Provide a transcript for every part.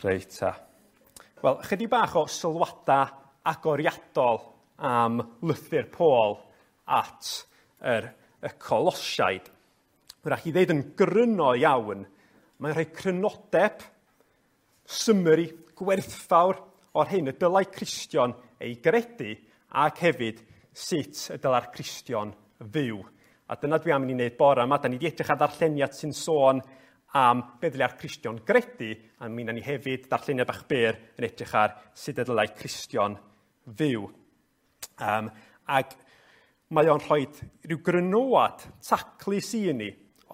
Reit ta. Wel, chydig bach o sylwadau agoriadol am lythyr Paul at yr, y Colosiaid. Wrach i ddeud yn gryno iawn, mae'n rhoi crynodeb, summary gwerthfawr o'r hyn y dylai Cristion ei gredu ac hefyd sut y dylai'r Cristion fyw. A dyna dwi am i ni wneud bore yma. Da ni wedi edrych ar ddarlleniad sy'n sôn am be ddylai'r Cristion gredu, a mi wnawn ni hefyd darlleniad bach byr yn edrych ar sut y dylai Cristion fyw. Ac mae o'n rhoi rhyw grynoad taclus i ni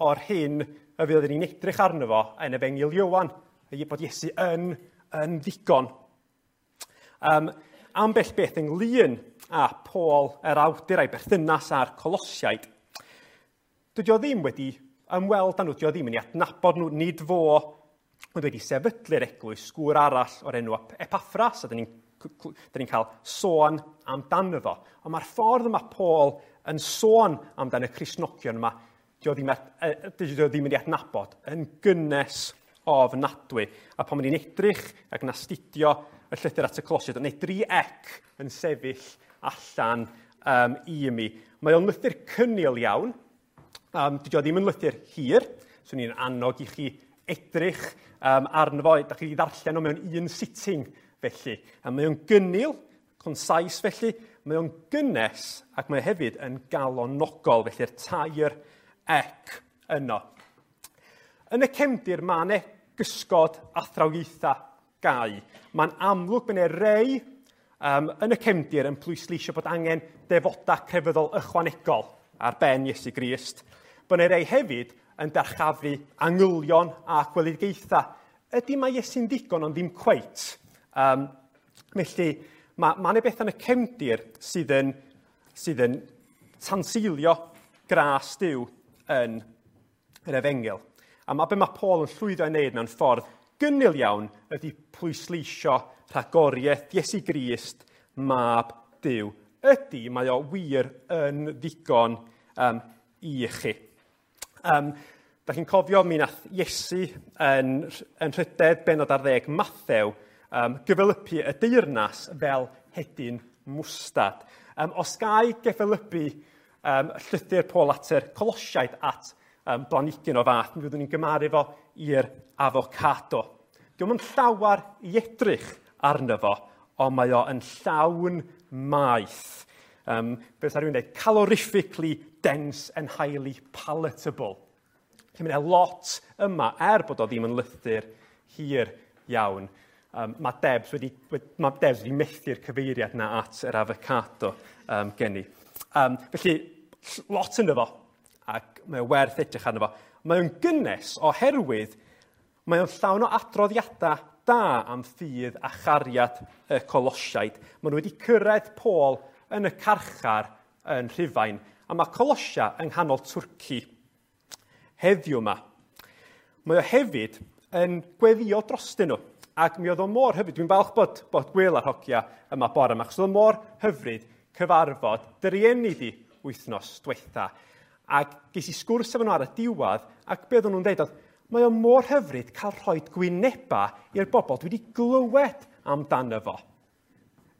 o'r hyn y fydd ni'n edrych arno fo yn Efengyl Ioan, bod Iesu yn ddigon. Ambell beth ynglyn â Paul yr awdur a'i berthynas â'r Colosiaid, dydy o ddim wedi ymweld â nhw, dydy o ddim yn ei adnabod nhw, nid fo oedd wedi sefydlu'r eglwys, gŵr arall o'r enw Epaffras, a dyn ni'n cael sôn amdano fo. Ond mae'r ffordd yma Paul yn sôn amdan y Cristnogion yma, dydy o ddim yn ei adnabod, yn gynnes ofnadwy. A pan ni'n edrych ac yn astudio y llythyr at y Colosiaid, neu dri ec yn sefyll allan i mi. Mae o'n lythyr cynnil iawn. Dydy o ddim yn lythyr hir, so ni'n annog i chi edrych arno fo. Da chi ddarllen o mewn un sitting felly. A mae o'n gynnil, concise felly, mae o'n gynnes ac mae hefyd yn galonogol, felly'r tair ec yno. Yn y cefndir mae yna gysgod athrawiaethau gau. Mae'n amlwg bod yna rei yn y cefndir yn pwysleisio bod angen defodau crefyddol ychwanegol ar ben Iesu Grist. Bod yna rei hefyd yn darchafu angylion a gweledigaethau. Ydy mae Iesu'n ddigon ond ddim cweit. Felly mae yna beth yn y cefndir sydd yn tanseilio gras Duw yn yr Efengyl. A mae be mae Paul yn llwyddo i wneud mewn ffordd gynnil iawn ydy pwysleisio rhagoriaeth Iesu Grist, mab Duw. Ydy, mae o wir yn ddigon i chi. Da chi'n cofio mi nath Iesu yn rhydedd benod ar 10 Mathew gyfelypu y deyrnas fel hedyn mwstad. Os gai gyfelypu llythyr Paul at yr Colosiaid at blanhigyn o fath, mi fyddwn ni'n gymaru fo i'r avocado. Dio'm yn llawar i edrych arno fo, ond mae o yn llawn maeth. Beth sa rhywun dweud, calorifically dense and highly palatable. Felly mae'n lot yma, er bod o ddim yn lythyr hir iawn. Mae Debs wedi methu'r cyfeiriad na at yr avocado gen i. Felly, lot ynddo fo, ac mae o werth edrych arno fo. Mae o'n gynnes oherwydd mae o'n llawn o adroddiadau da am ffydd a chariad y Colosiaid. Maen nhw wedi cyrraedd Paul yn y carchar yn Rhufain, a mae Colosia yng nghanol Twrci heddiw yma. Mae o hefyd yn gweddio drostyn nhw, ac mi oedd o mor hyfryd. Dwi'n falch bod Gwyl a'r hogia yma bore yma, achos oedd o mor hyfryd cyfarfod dy rieni di wythnos diwetha. Ac ges i sgwrs efo nhw ar y diwedd, ac be oedden nhw'n dweud oedd, mae o mor hyfryd cael rhoi gwyneba i'r bobl dwi wedi glywed amdano fo.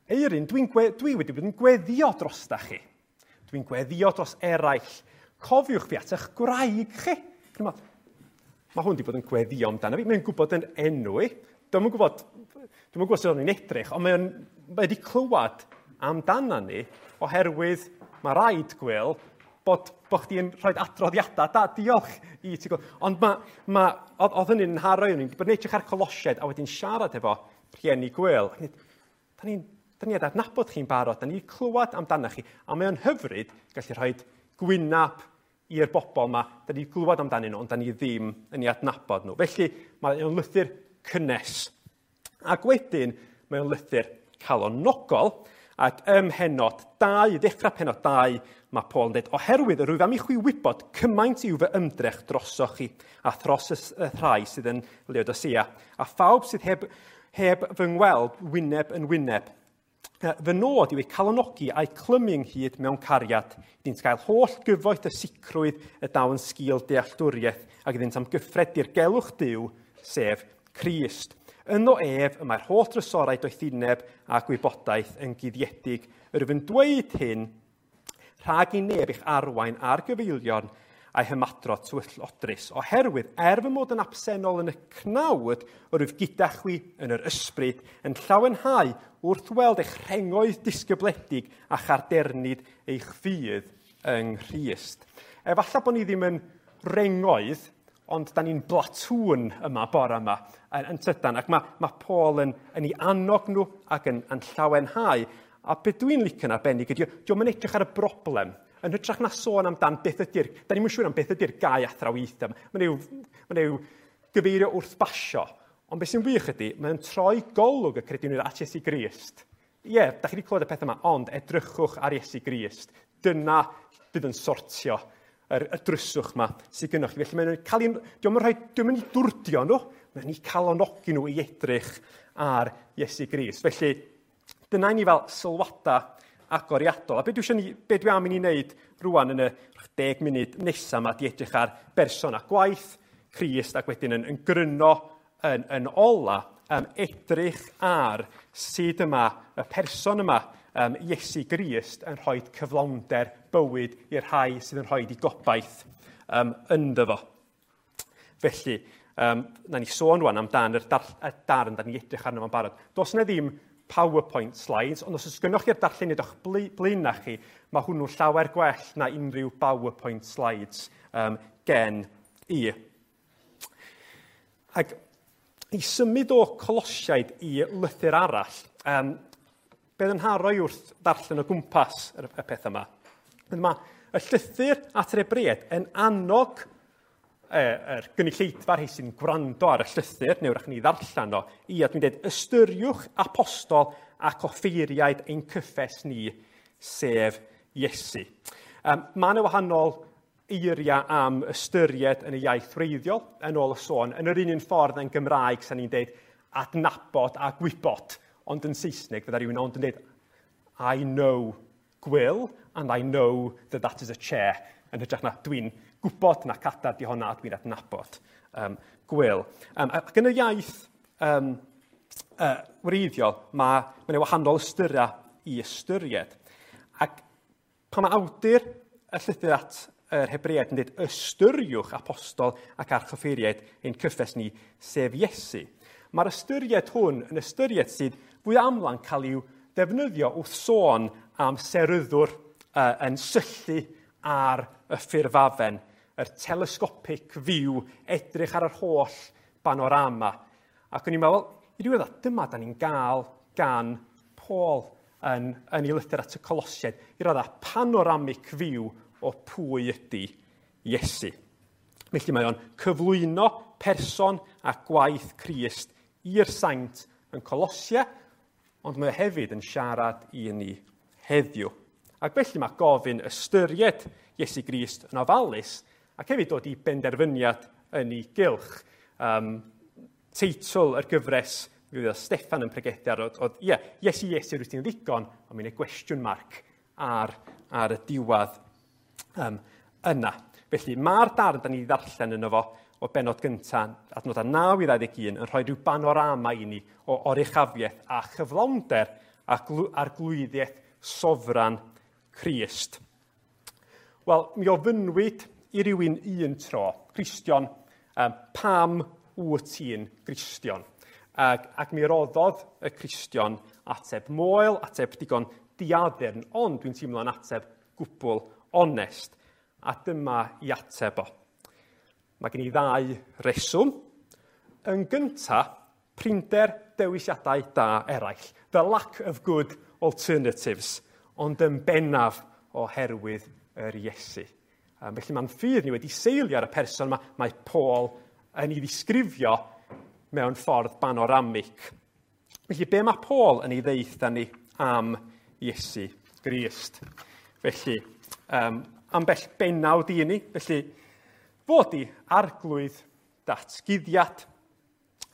Eirin, dwi wedi bod yn gweddio drosta chi. Dwi'n gweddio dros eraill. Cofiwch fi at eich gwraig chi. Mae hwn wedi bod yn gweddio amdano fi. Mae'n gwybod yn enw i. Dwi'm yn gwybod sut o'n i'n edrych, ond mae wedi clywed amdano ni oherwydd mae rhaid, Gwyl, bod chdi'n rhoi adroddiadau da, diolch i ti. Ond oedd hynny'n nharo i, o'n i'n bod yn edrych ar Colosiaid a wedyn siarad efo rhieni Gwyl. Da ni adnabod chi'n barod, da ni clywed amdano chi, a mae o'n hyfryd gallu rhoi gwynab i'r bobl yma, da ni glywed amdanyn nhw, ond da ni ddim yn ei adnabod nhw. Felly, mae o'n lythyr cynnes. Ac wedyn, mae o'n lythyr calonogol, ac ym mhennod 2, i ddechrau pennod 2, mae Paul yn dweud, oherwydd yr wyf am i chwi wybod cymaint yw fy ymdrech drosoch chi, a thros y rhai sydd yn Laodicea, a phawb sydd heb fy ngweld wyneb yn wyneb. Fy nod yw eu calonogi a'u clymu ynghyd mewn cariad, iddynt gael holl gyfoeth y sicrwydd y daw yn sgil dealltwriaeth ac iddynt amgyffred dirgelwch Duw, sef Crist. Yno ef y mae'r holl drysorau doethineb a gwybodaeth yn guddiedig. Yr wyf yn dweud hyn rhag i neb eich arwain ar gyfeilion a'i hymadrodd twyllodrus, oherwydd er fy mod yn absennol yn y cnawd, yr wyf gyda chwi yn yr ysbryd, yn llawenhau wrth weld eich rhengoedd disgybledig a chardernid eich ffydd yng Nghrist. Efallai bod ni ddim yn rengoedd, ond da ni'n blatŵn yma bore yma yn tydan, ac mae Paul yn ei annog nhw ac yn llawenhau. A beth dwi'n licio'n arbennig ydy, dio'm yn edrych ar y broblem, yn hytrach na sôn amdan beth ydy'r, da ni'm yn siŵr am beth ydy'r gau athrawiaethau. Mae'n yw gyfeirio wrth basio. Ond beth sy'n wych ydy, mae'n troi golwg y credinwyr at Iesu Grist. Ie, da chi wedi clywed y peth yma, ond edrychwch ar Iesu Grist. Dyna bydd yn sortio y dryswch yma sydd gynnoch chi. Felly mae'n cael ei, dio'm yn rhoi, dio'm yn ei dwrdio nhw, mae'n ei calonogi nhw i edrych ar Iesu Grist. Felly, dyna i ni fel sylwadau agoriadol. A be dwi, eisiau ni, be dwi am i ni wneud rwan yn y 10 munud nesaf yma, di edrych ar berson a gwaith Crist ac wedyn yn gryno yn ola, edrych ar sut yma y person yma, Iesu Grist, yn rhoi cyflawnder bywyd i'r rhai sydd yn rhoi i gobaith ynddo fo. Felly, na ni sôn rwan amdan yr darn da ni edrych arno fo'n barod. Does yna ddim PowerPoint slides, ond os oes gynnoch chi'r darlleniad o'ch blaenau chi, mae hwnnw llawer gwell na unrhyw PowerPoint slides gen i. Ac i symud o Colosiaid i lythyr arall, beth yn haroi wrth ddarllen o gwmpas y peth yma. Mae y llythyr at yr Hebreaid yn annog yr gynulleidfa rhai sy'n gwrando ar y llythyr, neu wrach ni ddarllen o, i, a dwi'n dweud, ystyriwch apostol ac offeiriaid ein cyffes ni, sef Iesu. Mae yna wahanol eiriau am ystyried yn y iaith wreiddiol, yn ôl y sôn, yn yr un ffordd yn Gymraeg, sa'n ni'n dweud adnabod a gwybod, ond yn Saesneg, fydda rhywun ond yn dweud, I know Gwil, and I know that that is a chair, yn hytrach na dwi'n gwybod na cadar di honna a dwi'n adnabod Gwil. Ac yn y iaith wreiddiol, mae yna wahanol ystyriau i ystyried. Ac pan mae awdur y llythyr at yr Hebreaid yn dweud ystyriwch apostol ac archoffeiriaid ein cyffes ni, sef Iesu. Mae'r ystyried hwn yn ystyried sydd fwy amla'n cael i'w defnyddio wrth sôn am seryddwr yn syllu ar y ffurfafen, yr telescopic view, edrych ar yr holl panorama. Ac o'n i'n meddwl, i ryw raddau, dyma da ni'n gael gan Paul yn ei lythyr at y Colosiaid, i raddau panoramic view o pwy ydy Iesu. Felly mae o'n cyflwyno person a gwaith Crist i'r saint yn Colosia, ond mae o hefyd yn siarad i ni heddiw. Ac felly mae gofyn ystyried Iesu Grist yn ofalus ac hefyd dod i benderfyniad yn ei gylch. Teitl yr gyfres mi oedd Steffan yn pregethu ar oedd, ie, Iesu, Iesu, rwyt ti'n ddigon, ond mae'n gwestiwn marc ar y diwedd yna. Felly mae'r darn da ni ddarllen yno fo o benod gyntaf, adnodau 9 i 21, yn rhoi rhyw banorama i ni o oruchafiaeth a chyflawnder arglwyddiaeth sofran Crist. Wel, mi ofynnwyd i rywun un tro, Cristion, pam wyt ti'n Gristion? Ac mi roddodd y Cristion ateb moel, ateb digon diaddurn, ond dwi'n teimlo'n ateb gwbl onest. A dyma i ateb o. Mae gen i ddau reswm. Yn gynta, prinder dewisiadau da eraill. The lack of good alternatives, ond yn bennaf oherwydd yr Iesu. Felly mae'n ffydd ni wedi seilio ar y person yma, mae Paul yn ei ddisgrifio mewn ffordd banoramig. Felly be mae Paul yn ei ddeutha ni am Iesu Grist? Felly, ambell benawd i ni, felly fod i arglwydd datguddiad.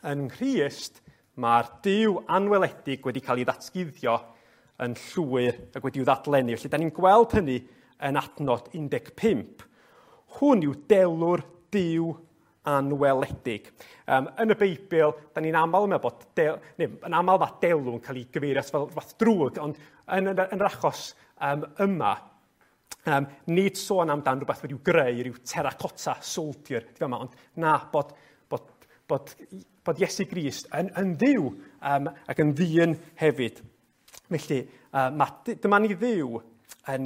Yn Nghrist, mae'r Duw anweledig wedi cael ei ddatguddio yn llwyr ac wedi'w ddadlennu. Felly, da ni'n gweld hynny yn adnod 15. Hwn yw delw'r Duw anweledig. Yn y Beibl, da ni'n aml yn meddwl bod, neu, yn aml mae delw yn cael ei gyfeirio fel rhywbeth drwg, ond yn yr achos yma, nid sôn amdan rhywbeth wedi'w greu, rhyw terracotta soldier, di fama, ond na, bod Iesu Grist yn Dduw ac yn ddyn hefyd. Felly, dyma ni Dduw, y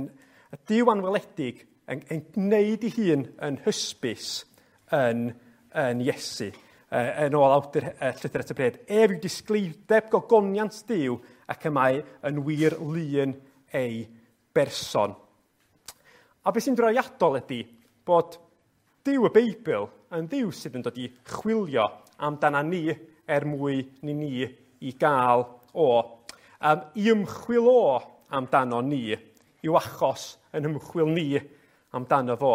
Duw anweledig, yn gwneud ei hun yn hysbys yn Iesu. Yn ôl awdur llythyr at y Hebreaid, ef yw disgleirdeb gogoniant Duw ac y mae yn wir lun ei berson. A beth sy'n drawiadol ydy bod Duw y Beibl yn Dduw sydd yn dod i chwilio amdana ni er mwy ni i gael o. I ymchwil o amdano ni yw achos yn ymchwil ni amdano fo.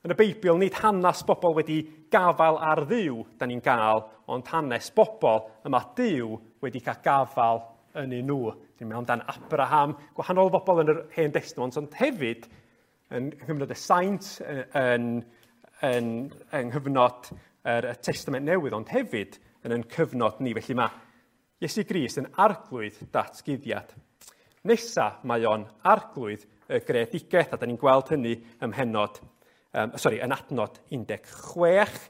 Yn y Beibl, nid hanes bobl wedi gafael ar Dduw da ni'n gael, ond hanes bobl y mae Duw wedi cael gafael yn eu nhw. Dwi'n meddwl amdan Abraham, gwahanol bobl yn yr Hen Destament, ond hefyd yn nghyfnod y Saint, yng nghyfnod y Testament Newydd, ond hefyd yn ein cyfnod ni. Felly mae Iesu Grist yn arglwydd datguddiad. Nesa mae o'n arglwydd y greadigaeth, a da ni'n gweld hynny ym mhennod, yn adnod 16,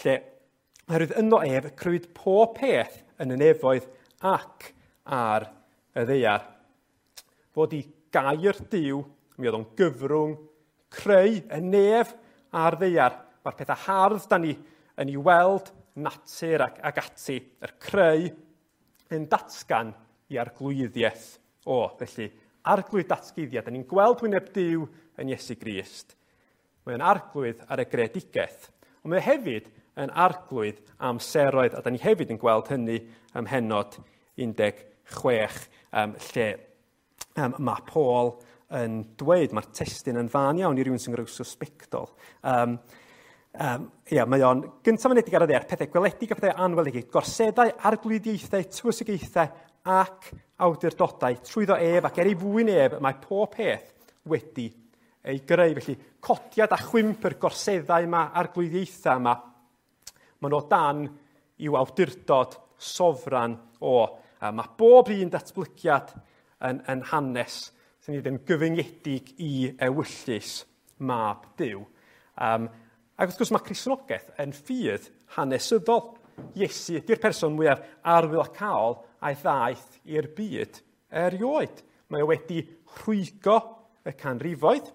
lle oherwydd yno ef crëwyd pob peth yn y nefoedd ac ar y ddaear. Fod i gair Duw, mi oedd o'n gyfrwng creu y nef a'r ddaear. Mae'r pethau hardd da ni yn ei weld, natur ac ati, yr creu yn datgan i arglwyddiaeth o. Felly, arglwydd datguddiad, da ni'n gweld wyneb Duw yn Iesu Grist. Mae'n arglwydd ar y greadigaeth, ond mae hefyd yn arglwydd amseroedd, a da ni hefyd yn gweld hynny ym mhennod 16, lle mae Paul yn dweud, mae'r testun yn fan iawn i rywun sy'n groeso sbectol. Mae o'n gyntaf mynedig ar y ddaear, pethau gweledig a pethau anweledig, gorseddau, arglwyddiaethau, tywysogaethau ac awdurdodau, trwyddo ef ac er ei fwyn ef, mae pob peth wedi ei greu. Felly, codiad a chwymp yr gorseddau yma, arglwyddiaethau yma, maen nhw o dan i'w awdurdod sofran o. A mae bob un datblygiad yn hanes sy'n ei yn gyfyngedig i ewyllys mab Duw. Ac wrth gwrs mae Cristnogaeth yn ffydd hanesyddol. Iesu ydy'r person mwyaf arwyddocaol a'i ddaeth i'r byd erioed. Mae o wedi rhwygo y canrifoedd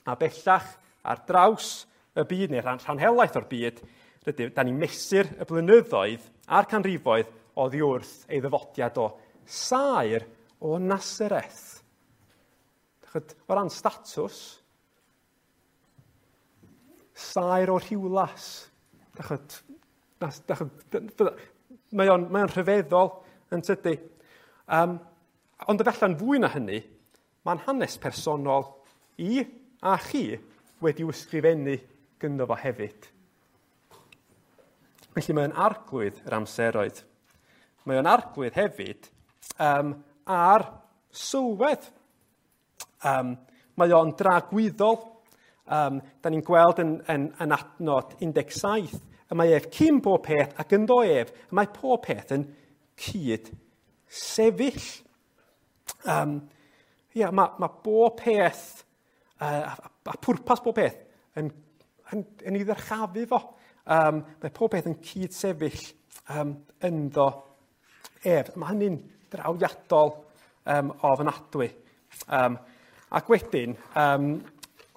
a bellach ar draws y byd, neu rhan helaeth o'r byd, da ni'n mesur y blynyddoedd a'r canrifoedd oddi wrth ei ddyfodiad o saer o Nasareth. O ran statws, saer o Rhiwlas. Mae o'n rhyfeddol yn tydi. Ond efallai'n fwy na hynny, mae'n hanes personol i a chi wedi'w ysgrifennu gynddo fo hefyd. Felly mae'n arglwydd yr amseroedd. Mae o'n arglwydd hefyd ar sylwedd. Mae o'n dragwyddol. Da ni'n gweld yn adnod 17, y mae ef cyn bob peth ac ynddo ef, y mae pob peth yn cyd sefyll. Mae bob peth, a pwrpas bob peth yn ei ddyrchafu fo. Mae pob peth yn cyd sefyll ynddo ef. Mae hynny'n drawiadol ofnadwy. Ac wedyn,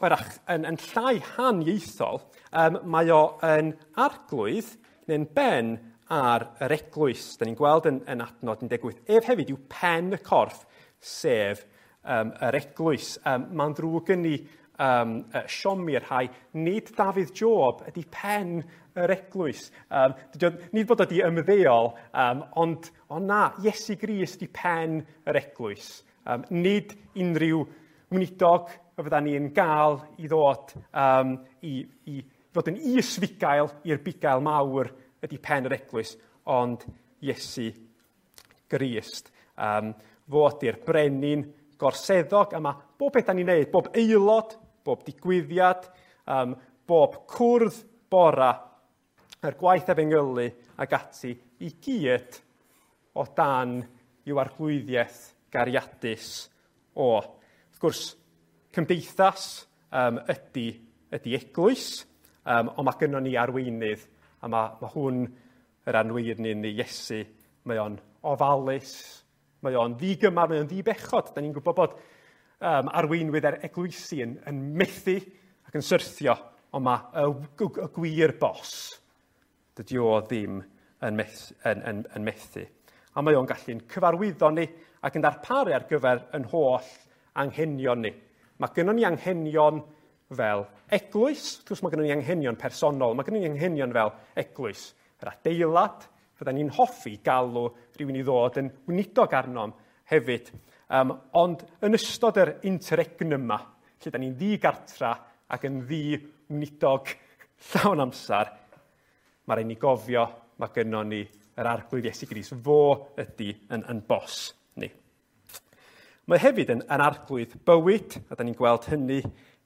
wrach, yn llai haniaethol, mae o yn arglwydd neu'n ben ar yr eglwys. Da ni'n gweld yn adnod 18. Ef hefyd yw pen y corff, sef yr eglwys. Mae'n ddrwg gen i siomi'r rhai. Nid Dafydd Job ydy pen yr eglwys. Nid bod wedi ymddeol, ond na, Iesu Grist ydy pen yr eglwys. Nid unrhyw weinidog y fydda ni'n gael i ddod i fod yn is-fugail i'r bugail mawr ydy pen yr eglwys, ond Iesu Grist. Fo ydy'r brenin gorseddog, a mae bob peth da ni'n neud, bob aelod, bob digwyddiad, bob cwrdd, bora, yr gwaith efengylu ac ati, i gyd o dan i'w arglwyddiaeth gariadus o. Wrth gwrs, cymdeithas ydy eglwys, ond mae gynnon ni arweinydd, a mae hwn yr arweinydd ni, Iesu, mae o'n ofalus, mae o'n ddigymar, mae o'n ddibechod. Da ni'n gwybod bod arweinwydd ar eglwysi yn methu ac yn syrthio, ond mae y gwir bos, dydy o ddim yn methu. A mae o'n gallu'n cyfarwyddo ni ac yn darparu ar gyfer yn holl anghenion ni. Mae gynnon ni anghenion fel eglwys, wrth gwrs mae gynnon ni anghenion personol, mae gynnon ni anghenion fel eglwys. Yr adeilad, fydda ni'n hoffi galw rhywun i ddod yn weinidog arnom hefyd. Ond yn ystod yr interregnum yma, lle da ni'n ddigartra ac yn ddi-weinidog llawn amser, mae rhaid ni gofio, mae gynnon ni yr Arglwydd Iesu Grist, fo ydy yn bos ni. Mae hefyd yn arglwydd bywyd, a da ni'n gweld hynny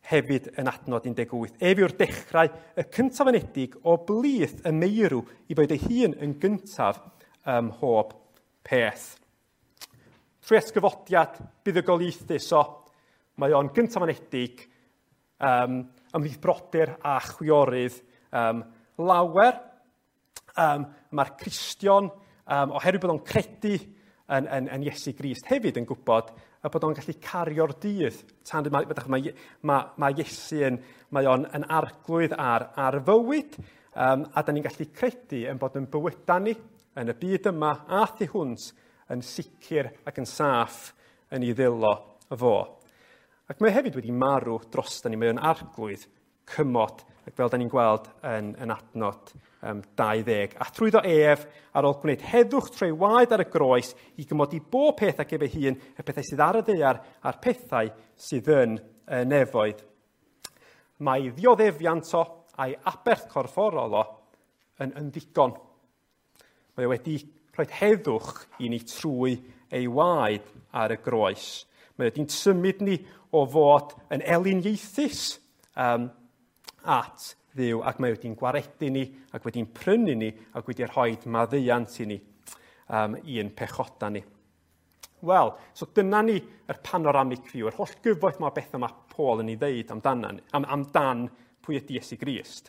hefyd yn adnod 18. Ef yw'r dechrau y cyntaf anedig o blith y meirw i fod ei hun yn gyntaf ym mhob peth. Trwy atgyfodiad buddugoliaethus o, mae o'n gyntaf anedig ymhlith brodyr a chwiorydd lawer. Mae'r Cristion, oherwydd bod o'n credu yn Iesu Grist, hefyd yn gwybod y bod o'n gallu cario'r dydd. Tan mae Iesu yn, mae o'n yn arglwydd ar fywyd, a da ni'n gallu credu yn bod yn bywydau ni yn y byd yma a thu hwnt yn sicr ac yn saff yn ei ddwylo fo. Ac mae hefyd wedi marw drosta ni, mae o'n arglwydd cymod, ac fel da ni'n gweld yn adnod 20. A trwyddo ef, ar ôl gwneud heddwch trwy waed ar y groes, i gymodi bob peth ac ef ei hun, y pethau sydd ar y ddaear a'r pethau sydd yn y nefoedd. Mae ddioddefiant o a'i aberth corfforol o yn ddigon. Mae o wedi rhoi heddwch i ni trwy ei waed ar y groes. Mae wedi'n symud ni o fod yn eliniaethus at Dduw, ac mae wedi'n gwaredu ni, ac wedi'n prynu ni, ac wedi rhoi maddeuant i ni, i'n pechoda ni. Wel, so dyna ni yr panoramic view, yr holl gyfoeth mae bethau mae Paul yn ei ddeud amdan pwy ydy Iesu Grist.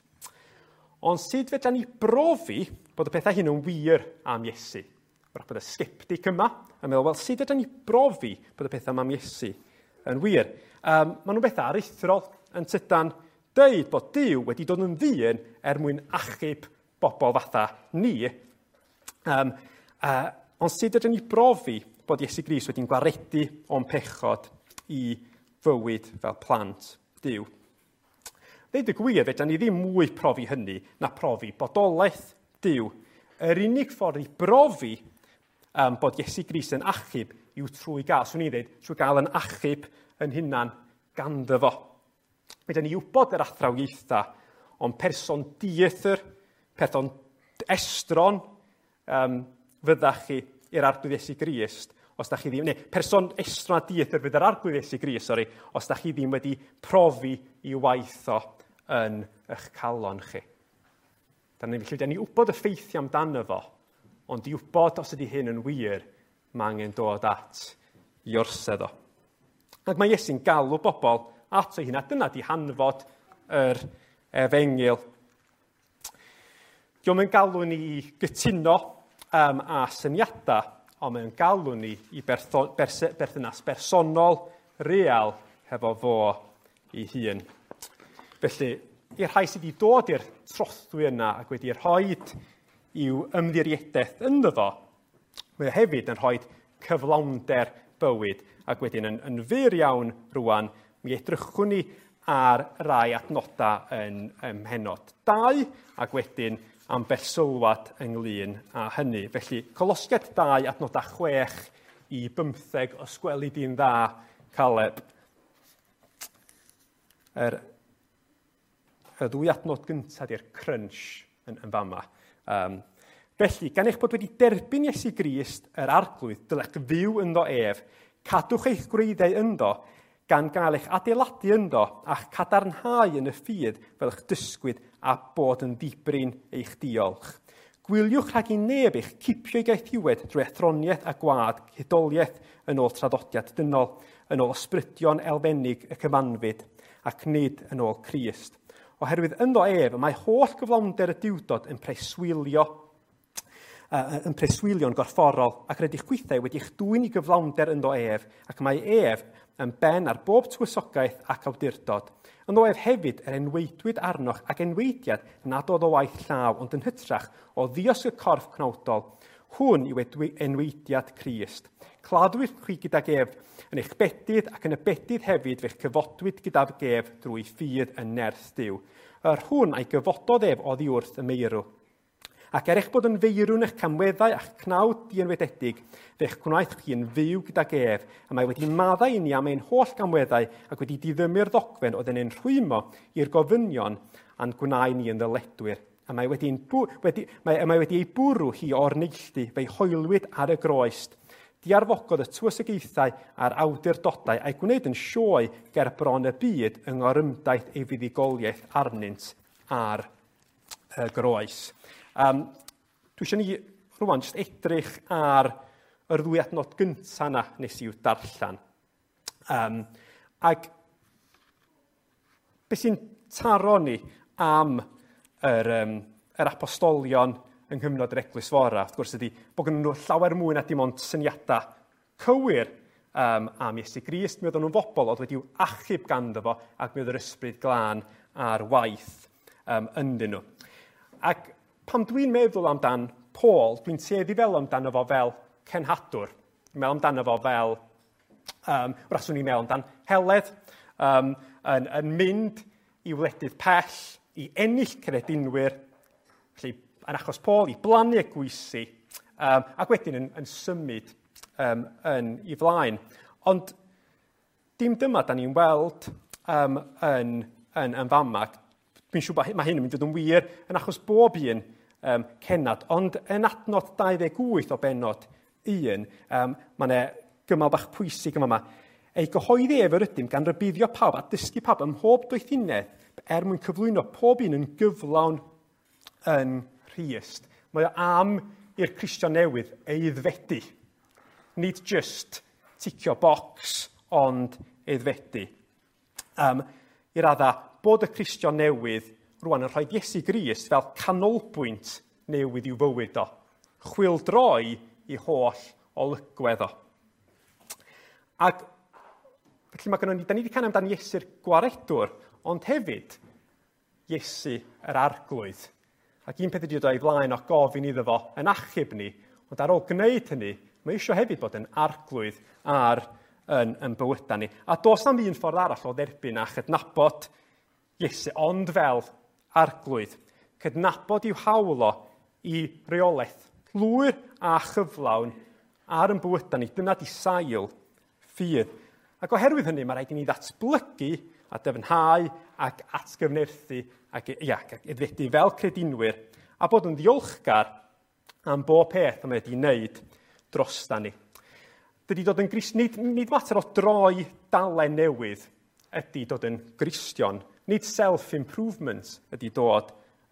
Ond sut fedra ni brofi bod y pethau hyn yn wir am Iesu? Wrach bod y sceptic yma yn meddwl, wel, sut fedra ni brofi bod y pethau yma am Iesu yn wir? Maen nhw'n bethau aruthrol yn tydan deud bod Duw wedi dod yn ddyn er mwyn achub bobl fatha ni. Ond sut ydyn ni brofi bod Iesu Grist wedi'n gwaredu o'n pechod i fywyd fel plant Duw? Ddeud y gwir, fedra ni ddim mwy profi hynny na profi bodolaeth Duw. Yr unig ffordd i brofi bod Iesu Grist yn achub yw trwy gael, swn i'n dweud, trwy gael yn achub yn hunan ganddo fo. Fedra ni wybod yr athrawiaetha, ond person dieithr, person estron fyddach chi i'r Arglwydd Iesu Grist, os da chi ddim, neu person estron a dieithr fydd yr Arglwydd Iesu Grist, sori, os da chi ddim wedi profi i waith o yn eich calon chi. Felly, da ni wybod y ffeithiau amdano fo, ond i wybod os ydy hyn yn wir, mae angen dod at i orsedd o. Ac mae Iesu'n galw bobl ato ei hun, a dyna di hanfod yr efengyl. Dio'm yn galw ni i gytuno â syniadau, ond mae'n galw ni i berthynas bersonol, real, hefo fo ei hun. Felly, i'r rhai sydd wedi dod i'r trothwy yna ac wedi rhoi i'w ymddiriedaeth ynddo fo, mae o hefyd yn rhoi cyflawnder bywyd, ac wedyn yn fyr iawn rwan, mi edrychwn ni ar rai adnodau yn mhennod 2, ac wedyn ambell sylwad ynglyn â hynny. Felly, Colosiaid 2, adnodau 6 i 15, os gweli di'n dda, Caleb. Y ddwy adnod gyntaf di'r crunch yn fama. Felly, gan eich bod wedi derbyn Iesu Grist, yr Arglwydd, dylech fyw ynddo ef, cadwch eich gwreiddiau ynddo, gan gael eich adeiladu ynddo a'ch cadarnhau yn y ffydd fel eich dysgwyd a bod yn ddibrin eich diolch. Gwyliwch rhag i neb eich cipio i gaethiwed drwy athroniaeth a gwad hudoliaeth yn ôl traddodiad dynol, yn ôl ysbrydion elfennig y cyfanfyd, ac nid yn ôl Crist. Oherwydd ynddo ef, y mae holl gyflawnder y Duwdod yn preswylio yn preswylio'n gorfforol, ac rydych chwithau wedi'ch dwyn i gyflawnder ynddo ef, ac mae ef yn ben ar bob tywysogaeth ac awdurdod. Ynddo ef hefyd yr enweidwyd arnoch ac enweidiad nad oedd o waith llaw, ond yn hytrach o ddiosg y corff cnawdol. Hwn yw enweidiad Crist. Claddwyd chwi gydag ef yn eich bedydd, ac yn y bedydd hefyd fe'ch cyfodwyd gydag ef drwy ffydd yn nerth Duw. Yr hwn a'i gyfododd ef oddi wrth y meirw. Ac er eich bod yn feirw yn eich camweddau a'ch cnawd dienwededig, fe'ch gwnaeth chi yn fyw gydag ef, a mae wedi maddau i ni am ein holl gamweddau ac wedi diddymu'r ddogfen oedd yn ein rhwymo i'r gofynion a'n gwnau ni yn ddyledwyr. A mae wedi, wedi, mae, mae wedi ei bwrw hi o'r neilltu, fe'i hoelwyd ar y groest. Diarfogodd y tywysogaethau a'r awdurdodau a'i gwneud yn sioe ger bron y byd yng ngorymdaith ei fuddugoliaeth arnynt ar y groes. Dwi eisiau ni rwan jyst edrych ar yr ddwy adnod gyntaf yna nes i'w darllen. Ac beth sy'n taro ni am yr apostolion yng nghyfnod yr Eglwys Fora, wrth gwrs, ydy bod gen nhw llawer mwy na dim ond syniadau cywir am Iesu Grist. Mi oedden nhw'n bobl oedd wedi'w achub ganddo fo, ac mi oedd yr ysbryd glân ar waith ynddyn nhw. Ac pan dwi'n meddwl amdan Paul, dwi'n tueddu fel amdano fo fel cenhadwr. Dwi'n meddwl amdano fo fel, wrach swn i'n meddwl amdan Heledd, yn mynd i wledydd pell, i ennill credinwyr, felly yn achos Paul, i blannu eglwysi, ac wedyn yn symud yn i flaen. Ond dim dyma da ni'n weld yn fama. Dwi'n siŵr bod mae hyn yn mynd i fod yn wir yn achos bob un cennad, ond yn adnod 28 o bennod 1, mae yna gymal bach pwysig yma. Ei gyhoeddi ef yr ydym gan rybuddio pawb a dysgu pawb ym mhob doethineb er mwyn cyflwyno pob un yn gyflawn yn Nghrist. Mae o am i'r Cristion newydd aeddfedu. Nid just ticio bocs, ond aeddfedu. I radda, bod y Cristion newydd rwan yn rhoi Iesu Grist fel canolbwynt newydd i'w fywyd o. Chwyldroi i holl olygwedd o. Ac felly mae gynnon ni, da ni wedi canu amdan Iesu'r gwaredwr, ond hefyd Iesu yr arglwydd. Ac un peth ydy dod o'i flaen o gofyn iddo fo yn achub ni, ond ar ôl gwneud hynny, mae eisiau hefyd bod yn arglwydd ar yn bywydau ni. A does na'm un ffordd arall o dderbyn a chydnabod Iesu, ond fel arglwydd. Cydnabod i'w hawl o i reolaeth lwyr a chyflawn ar yn bywydau ni. Dyna di sail ffydd. Ac oherwydd hynny, mae rhaid i ni ddatblygu a dyfnhau ac atgyfnerthu ac, ia, ac aeddfedu fel credinwyr a bod yn ddiolchgar am bob peth y mae wedi wneud drosta ni. Dydy dod yn Grist, nid mater o droi dalen newydd ydy dod yn Gristion. Nid self-improvement ydy dod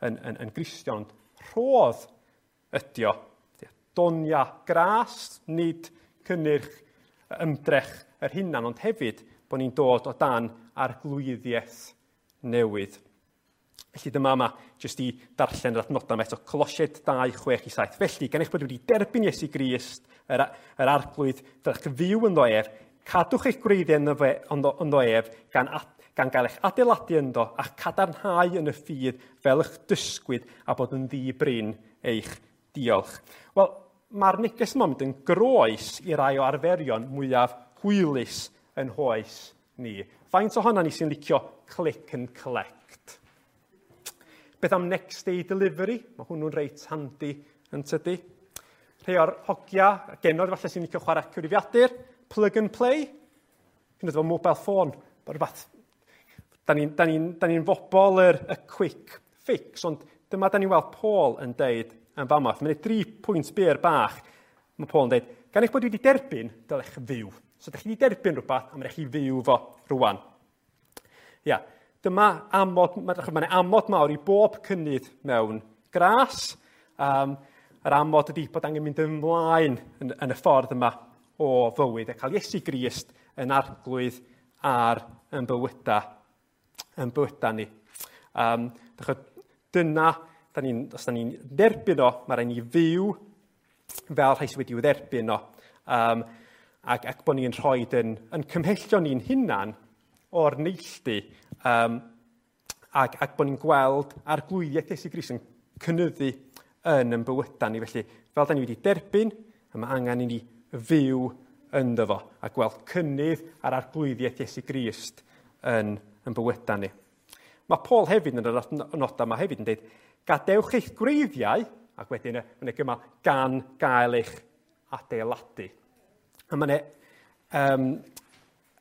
yn Gristion, ond rhodd ydy o. Donia gras, nid cynnyrch ymdrech yr hunan, ond hefyd bod ni'n dod o dan arglwyddiaeth newydd. Felly dyma yma, jyst i darllen yr adnodau yma eto, Colosiaid 2, 6 i 7. Felly, gan eich bod wedi derbyn Iesu Grist, yr arglwydd, dylech fyw ynddo ef, cadwch eich gwreiddiau ynddo ef, gan gael eich adeiladu ynddo a'ch cadarnhau yn y ffydd fel eich dysgwyd a bod yn ddi-brin eich diolch. Wel, mae'r neges yma'n mynd yn groes i rai o arferion mwyaf hwylus yn hoes ni. Faint ohonan ni sy'n licio click and collect? Beth am next day delivery? Mae hwnnw'n reit handi yn tydi. Rhai o'r hogia, genod falle sy'n licio chwarae cyfrifiadur, plug and play, hyn oed efo mobile phone, rhywbeth. Da ni bobl y quick fix, ond dyma da ni'n weld Paul yn deud yn fama. Mae'n 3 pwynt byr bach. Mae Paul yn deud, gan eich bod wedi derbyn, dylech fyw. So, da chi wedi derbyn rhywbeth, a mae'n rhaid chi fyw fo rwan. Ia, dyma amod, mae'n amod mawr i bob cynnydd mewn gras. Yr amod ydy bod angen mynd ymlaen yn y ffordd yma o fywyd a cael Iesu Grist yn arglwydd ar yn bywydau ni. Dyna, os da ni'n derbyn o, mae rhaid ni fyw fel rhai sydd wedi'w dderbyn o. Ac bod ni'n rhoi yn cymhellio ni'n hunan o'r neilltu ac bod ni'n gweld arglwyddiaeth Iesu Grist yn cynyddu yn bywydau ni. Felly, fel da ni wedi derbyn, a mae angen i ni fyw ynddo fo a gweld cynnydd ar arglwyddiaeth Iesu Grist yn bywydau ni. Mae Paul hefyd yn yr nodau yma hefyd yn dweud, gadewch eich gwreiddiau, ac wedyn yn y gymal, gan gael eich adeiladu. A mae yna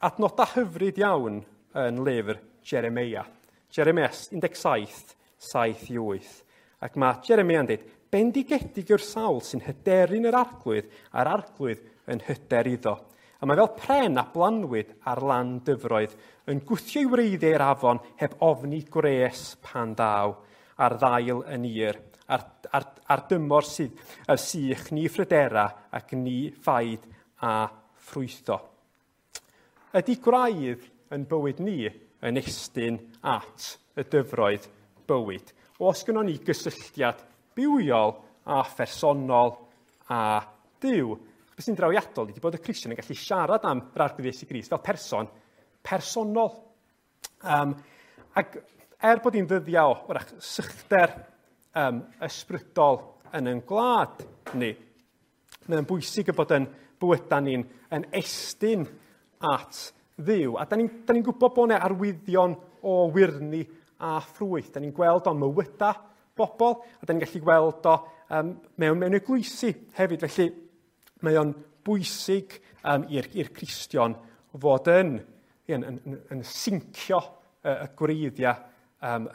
adnodau hyfryd iawn yn lyfr Jeremia. Jeremia 17, 7-8. Ac mae Jeremia yn dweud, bendigedig yw'r sawl sy'n hyderu'n yr arglwydd, a'r arglwydd yn hyder iddo. A mae fel pren a blanwyd ar lan dyfroedd, yn gwthio i wreiddiau i'r afon heb ofni gwres pan ddaw, a'r ddail yn ir, a'r dymor sydd y sych ni phrydera ac ni ffaid a ffrwytho. Ydy gwraidd yn bywyd ni yn estyn at y dyfroedd bywyd? Oes gynnon ni gysylltiad bywiol a phersonol a Duw? Beth sy'n drawiadol ydy bod y Cristion yn gallu siarad am yr Arglwydd Iesu Grist fel person personol. Ac bod hi'n ddyddiau o wrach sychder ysbrydol yn ein gwlad ni, mae'n bwysig y bod yn bywydau ni'n yn estyn at Dduw. A da ni'n gwybod bod yna arwyddion o wyrni a ffrwyth. Da ni'n gweld o'n mywydau bobl, a da ni'n gallu gweld o mewn eglwysi hefyd. Felly mae o'n bwysig i'r Cristion fod yn sincio y gwreiddiau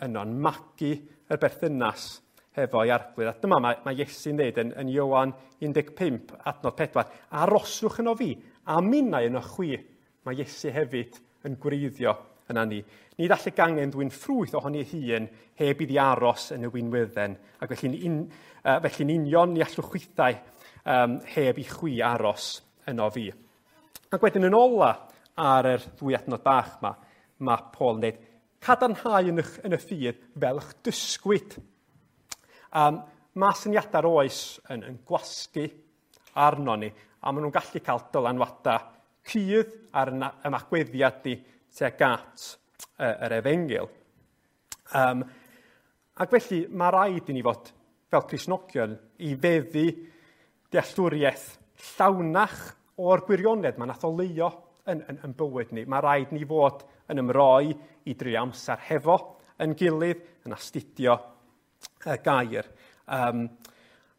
yno, yn magu y berthynas hefo'i arglwydd. A dyma mae Iesu'n dweud yn Ioan 15, adnod 4, aroswch yno fi, a minnau yno chwi. Mae Iesu hefyd yn gwreiddio yna ni. Nid all y gangen ddwyn ffrwyth ohoni ei hun heb iddi aros yn y winwydden. Ac felly'n union ni allwch chwithau heb i chwi aros yno fi. Ac wedyn yn ola ar yr ddwy adnod bach yma, mae Paul yn dweud, cadarnhau yn y ffydd fel eich dysgwyd. Mae syniadau'r oes yn gwasgu arno ni, a maen nhw'n gallu cael dylanwadau cudd ar ymagweddiad ni tuag at yr efengyl. Ac felly mae rhaid i ni fod fel Cristnogion i feddu dealltwriaeth llawnach o'r gwirionedd mae nath oleuo yn bywyd ni. Mae rhaid ni fod yn ymroi i drio amser hefo yn gilydd, yn astudio y gair.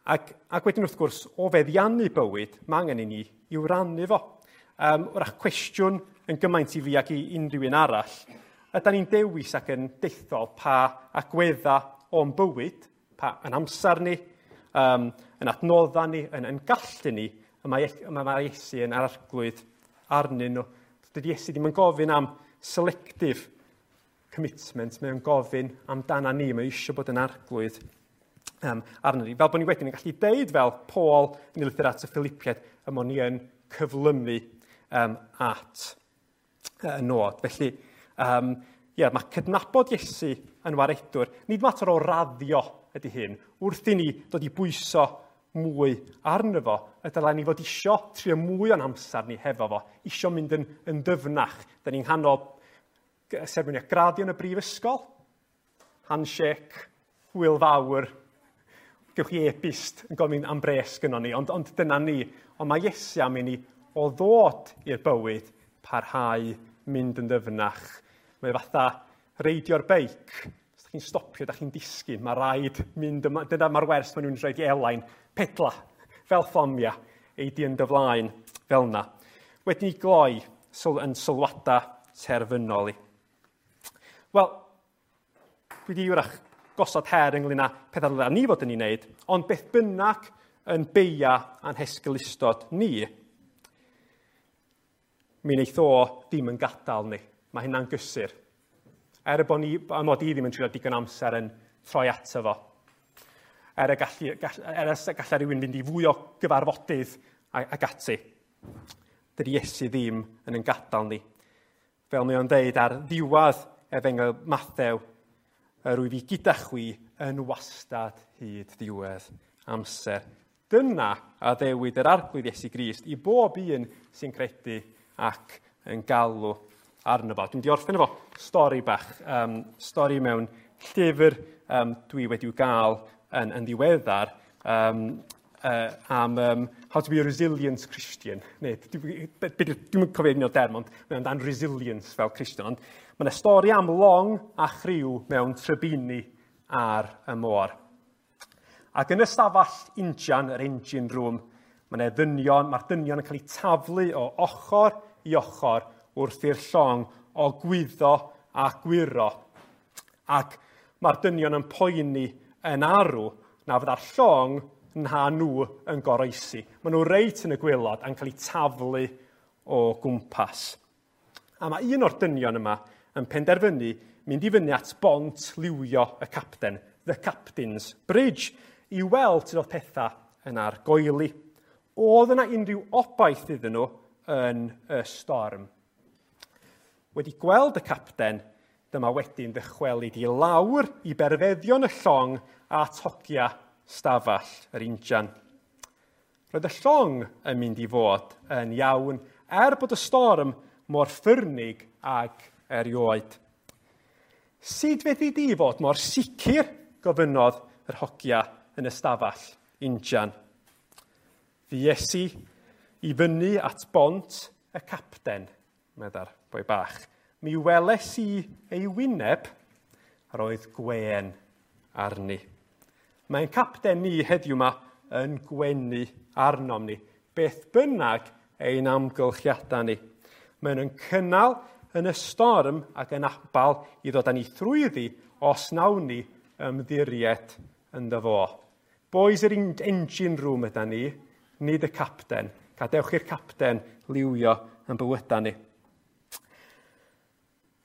Ac wedyn wrth gwrs, o feddiannu bywyd, mae angen i ni i'w rannu fo. Wrach cwestiwn yn gymaint i fi ac i unrhyw un arall, ydan ni'n dewis ac yn dethol pa agwedda o'n bywyd, pa yn amser ni, yn adnodda ni, yn gallu ni, y mae Iesu yn arglwydd arnyn nhw. Dydy Iesu ddim yn gofyn am selective commitment, mae'n gofyn amdana ni, mae eisiau bod yn arglwydd arno ni. Fel bod ni wedyn yn gallu deud fel Paul yn ei lythyr at y Philippiaid, y mod ni yn cyflymu at y nod. Felly, mae cydnabod Iesu yn waredwr. Nid mater o raddio ydy hyn. Wrth i ni dod i bwyso mwy arno fo, y dylai ni fod isio trio mwy o'n amser ni hefo fo, isio mynd yn dyfnach. Da ni'n nghanol seremoni graddio yn y brifysgol, handshake, hwyl fawr, gewch chi e-byst yn gofyn am bres gynnon ni, ond dyna ni. Ond mae Iesu am i ni o ddod i'r bywyd parhau mynd yn ddyfnach. Mae fatha reidio'r beic. Os ydych chi'n stopio, ydych chi'n disgyn. Mae rhaid mynd yma. Dyna mae'r wers maen nhw'n rhaid i Elain. Pedla, fel fflamia, ei di yn dy flaen fel yna. Wedyn i gloi yn sylwadau terfynol i. Wel, dwi wedi wrach gosod her ynglyn â pethau ddyla ni fod yn ei wneud, ond beth bynnag yn beia a'n hesgulustod ni, Mi wneith o ddim yn gadael ni. Mae hynna'n gysur. Er y bod ni, a mod i ddim yn treulio digon amser yn troi ato fo. Er y gallu, gall, er y gallai rhywun fynd i fwy o gyfarfodydd ac ati. Dydy Iesu ddim yn yn gadael ni. Fel mae o'n deud ar ddiwedd Efengyl Mathew, yr wyf i gyda chwi yn wastad hyd ddiwedd amser. Dyna addewid yr Arglwydd Iesu Grist i bob un sy'n credu ac yn galw arno fo. Dwi'n di orffen efo stori bach, stori mewn llyfr dwi wedi'w gael yn ddiweddar am How to be a Resilient Christian. Neu, dwi'n cofio un o'r derm, ond mae'n amdan resilience fel Christian. Ond mae yna stori am long a chriw mewn trybini ar y môr. Ac yn y stafell injan, yr engine room, mae yna ddynion, mae'r dynion yn cael eu taflu o ochr i ochr wrth i'r llong ogwyddo a gwyro. Ac mae'r dynion yn poeni yn arw na fydda'r llong na nhw yn goroesi. Maen nhw reit yn y gwaelod a'n cael eu taflu o gwmpas. A mae un o'r dynion yma yn penderfynu mynd i fyny at bont liwio y capten, The Captain's Bridge, i weld sut oedd pethau yn argoeli. Oedd yna unrhyw obaith iddyn nhw yn y storm? Wedi gweld y capten, dyma wedyn ddychwelyd i lawr i berfeddion y llong a tocia stafell yr injan. Roedd y llong yn mynd i fod yn iawn, er bod y storm mor ffyrnig ag erioed. Sut fedri di fod mor sicr, gofynnodd yr hogia yn y stafell injan. Fues i i fyny at bont y capten, medda'r boi bach. Mi weles i ei wyneb, a roedd gwên arni. Mae'n capten ni heddiw yma yn gwenu arnom ni, beth bynnag ein amgylchiadau ni. Mae'n yn cynnal yn y storm ac yn abal i ddod â ni thrwyddi os nawn ni ymddiried ynddo fo. Boys yr engine room yda ni, nid y capten. Gadewch i'r capten liwio yn bywydau ni.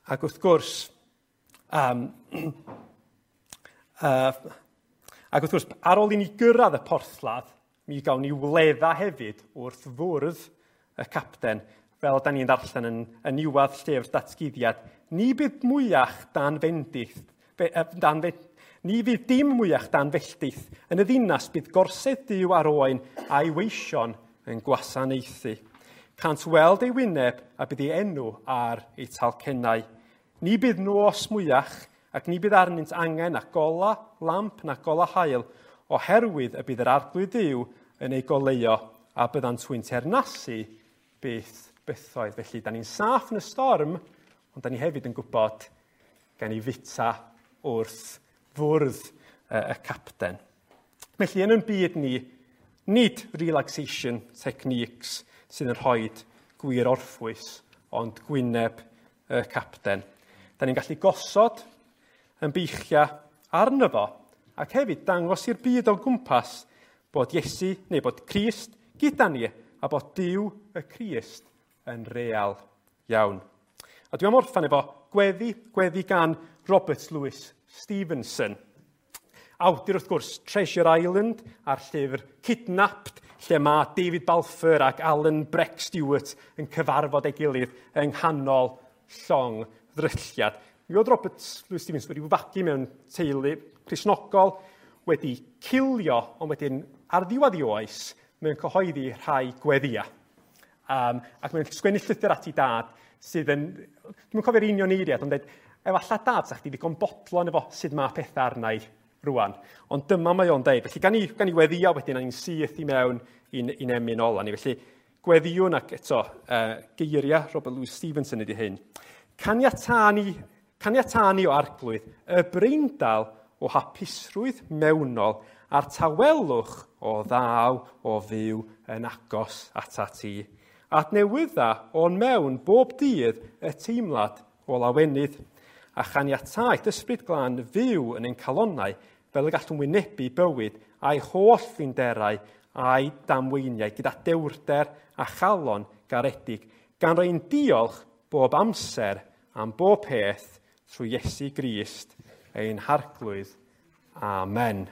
Ac wrth gwrs, ar ôl i ni gyrraedd y porthladd, mi gawn ni wledda hefyd wrth fwrdd y capten, fel da ni'n ddarllen yn niwedd llyfr Datguddiad. Ni bydd mwyach dan fendith, ni fydd dim mwyach dan felltith. Yn y ddinas bydd gorsedd Duw ar oen a'i weision yn gwasanaethu. Cant weld ei wyneb a bydd ei enw ar ei talcennau. Ni bydd nos mwyach ac ni bydd arnynt angen na gola lamp na gola haul, oherwydd y bydd yr Arglwydd Duw yn ei goleuo a byddant hwy'n teyrnasu byth bythoedd. Felly, da ni'n saff yn y storm, ond da ni hefyd yn gwybod gan i fita wrth fwrdd y capten. Felly, yn ein byd ni, nid relaxation techniques sydd yn rhoi gwir orffwys, ond gwyneb y capten. Da ni'n gallu gosod yn beichia arno fo, ac hefyd dangos i'r byd o gwmpas bod Iesu, neu bod Crist gyda ni, a bod Duw y Crist yn real iawn. A dwi am orffen efo gweddi gan Robert Louis Stevenson. Awdur, wrth gwrs, Treasure Island a'r llyfr Kidnapped, lle mae David Balfour ac Alan Breck Stewart yn cyfarfod ei gilydd yng nghanol llong ddrylliad. Mi oedd Robert Louis Stevenson wedi fagu mewn teulu Cristnogol, wedi cilio, ond wedyn ar ddiwedd ei oes, mae'n cyhoeddi rhai gweddia. Ac mae'n sgwennu llythyr at ei dad sydd yn, dwi'm yn cofio'r union eiriad, ond dweud, efallai dad, sa chdi ddigon bodlon efo sut mae pethau arna i rwan. Ond dyma mae o'n deud. Felly gan i weddio wedyn, a ni'n syth i mewn i'n emyn ola ni. Felly gweddiwn ac eto geiriau Robert Louis Stevenson ydy hyn. Caniatâ ni o Arglwydd y breindal o hapusrwydd mewnol a'r tawelwch o ddaw o fyw yn agos atat ti. Adnewydda o'n mewn bob dydd y teimlad o lawenydd, a chaniatáu ysbryd glân fyw yn ein calonnau fel y gallwn wynebu bywyd a'i holl flinderau a'i damweiniau gyda dewrder a chalon garedig. gan roi'n diolch bob amser am bob peth trwy Iesu Grist ein harglwydd. Amen.